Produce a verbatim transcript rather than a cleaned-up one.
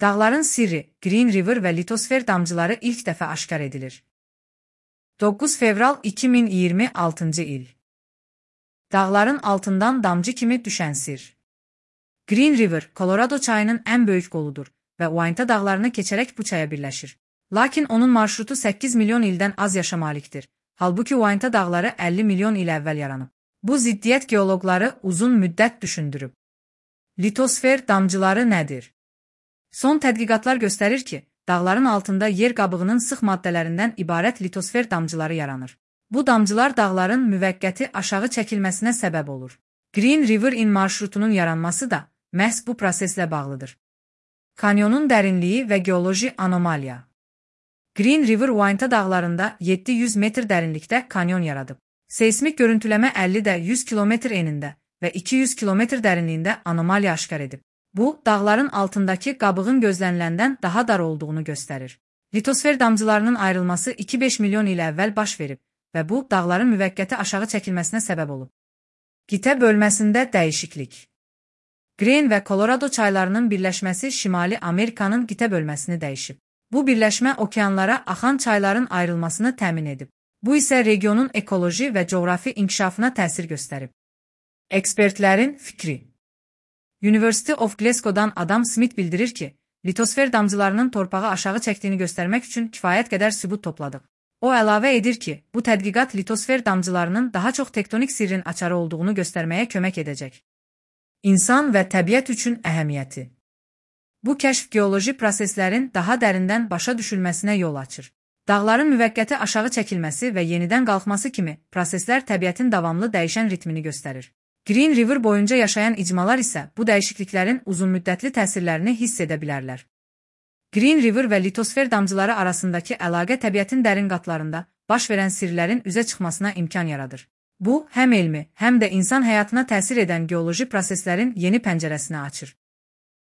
Dağların sirri, Green River və litosfer damcıları ilk dəfə aşkar edilir. doqquz fevral iki min iyirmi altıncı il. Dağların altından damcı kimi düşən sir. Green River, Colorado çayının ən böyük qoludur və Uinta dağlarını keçərək bu çaya birləşir. Lakin onun marşrutu səkkiz milyon ildən az yaşa malikdir. Halbuki Uinta dağları əlli milyon il əvvəl yaranıb. Bu ziddiyyət geoloqları uzun müddət düşündürüb. Litosfer damcıları nədir? Son tədqiqatlar göstərir ki, dağların altında yer qabığının sıx maddələrindən ibarət litosfer damcıları yaranır. Bu damcılar dağların müvəqqəti aşağı çəkilməsinə səbəb olur. Green River-in marşrutunun yaranması da məhz bu proseslə bağlıdır. Kanyonun dərinliyi və geoloji anomaliya. Green River Uinta dağlarında yeddi yüz metr dərinlikdə kanyon yaradıb. Seismik görüntüləmə əlli də yüz kilometr enində və iki yüz kilometr dərinliyində anomaliya aşkar edib. Bu, dağların altındakı qabığın gözləniləndən daha dar olduğunu göstərir. Litosfer damcılarının ayrılması iki beş milyon il əvvəl baş verib və bu, dağların müvəqqəti aşağı çəkilməsinə səbəb olub. Qitə bölməsində dəyişiklik. Green və Colorado çaylarının birləşməsi Şimali Amerikanın qitə bölməsini dəyişib. Bu birləşmə okeanlara axan çayların ayrılmasını təmin edib. Bu isə regionun ekoloji və coğrafi inkişafına təsir göstərib. Ekspertlərin fikri. University of Glasgow-dan Adam Smith bildirir ki, litosfer damcılarının torpağı aşağı çəkdiyini göstərmək üçün kifayət qədər sübut topladıq. O əlavə edir ki, bu tədqiqat litosfer damcılarının daha çox tektonik sirrin açarı olduğunu göstərməyə kömək edəcək. İnsan və təbiət üçün əhəmiyyəti. Bu kəşf geoloji proseslərin daha dərindən başa düşülməsinə yol açır. Dağların müvəqqəti aşağı çəkilməsi və yenidən qalxması kimi proseslər təbiətin davamlı dəyişən ritmini göstərir. Green River boyunca yaşayan icmalar isə bu dəyişikliklərin uzunmüddətli təsirlərini hiss edə bilərlər. Green River və litosfer damcıları arasındakı əlaqə təbiətin dərin qatlarında baş verən sirlərin üzə çıxmasına imkan yaradır. Bu, həm elmi, həm də insan həyatına təsir edən geoloji proseslərin yeni pəncərəsini açır.